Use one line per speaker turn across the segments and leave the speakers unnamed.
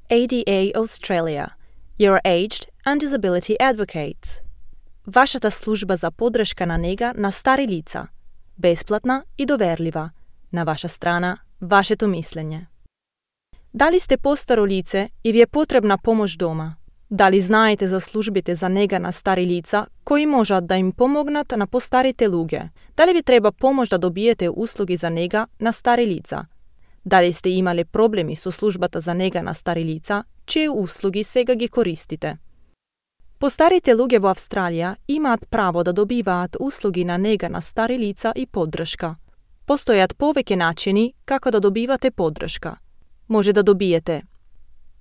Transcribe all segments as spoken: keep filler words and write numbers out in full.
A D A Australia, your aged and disability advocates. Вашата служба за подршка на нега на стари лица. Бесплатна и доверлива. На ваша страна, вашето мисленje. Дали сте постаро лице и ви е потребна pomoć дома? Дали знаете за службите за нега на стари лица кои можат да им помогнат на постарите луѓе? Дали ви треба помош да добиете услуги за нега на стари лица? Дали сте имале проблеми со службата за нега на стари лица, чие услуги сега ги користите? Постарите луѓе во Австралија имаат право да добиваат услуги на нега на стари лица и поддршка. Постојат повеќе начини како да добивате поддршка. Може да добиете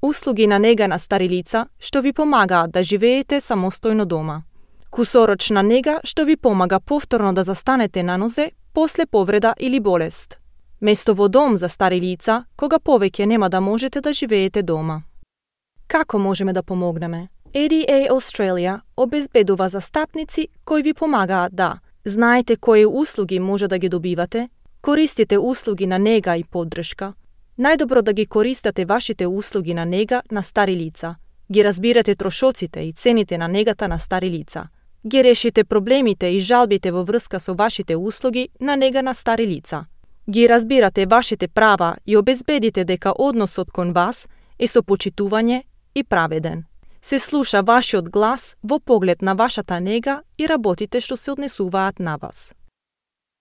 услуги на нега на стари лица, што ви помагаат да живеете самостојно дома. Кусорочна нега што ви помага повторно да застанете на нозе после повреда или болест. Место во дом за стари лица, кога повеќе нема да можете да живеете дома. Како можеме да помогнеме? A D A Australia обезбедува застапници кои ви помагаат да знаете кои услуги може да ги добивате, користите услуги на нега и поддршка, најдобро да ги користате вашите услуги на нега на стари лица, ги разбирате трошоците и цените на негата на стари лица, ги решите проблемите и жалбите во врска со вашите услуги на нега на стари лица, ги разбирате вашите права и обезбедите дека односот кон вас е со почитување и праведен. Се слуша вашиот глас во поглед на вашата нега и работите што се однесуваат на вас.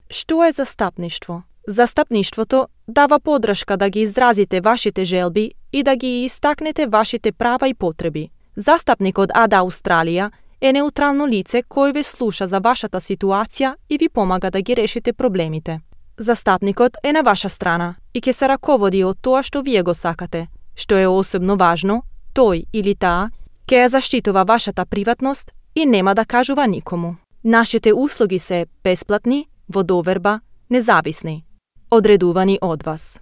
Што е застапништво? Застапништвото дава поддршка да ги изразите вашите желби и да ги истакнете вашите права и потреби. Застапникот А D A Australia е неутрално лице кој ве слуша за вашата ситуација и ви помага да ги решите проблемите. Застапникот е на ваша страна и ќе се раководи од тоа што вие го сакате. Што е особено важно, тој или таа ќе ја заштитува вашата приватност и нема да кажува никому. Нашите услуги се бесплатни, во доверба, независни, одредувани од вас.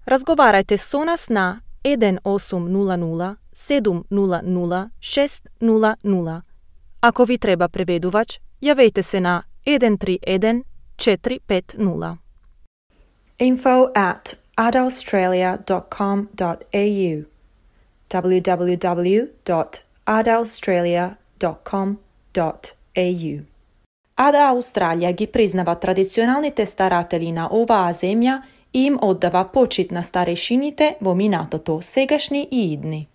Разговарајте со нас на еден осум нула нула седум нула нула шест нула нула. Ако ви треба преведувач, јавете се на еден три еден четири пет нула. info at adaustralia dot com dot a u w w w dot adaustralia dot com dot a u. A D A Australia ги признава традиционалните старатели на оваа земја и им оддава почит на старешините во минатото, сегашни и идни.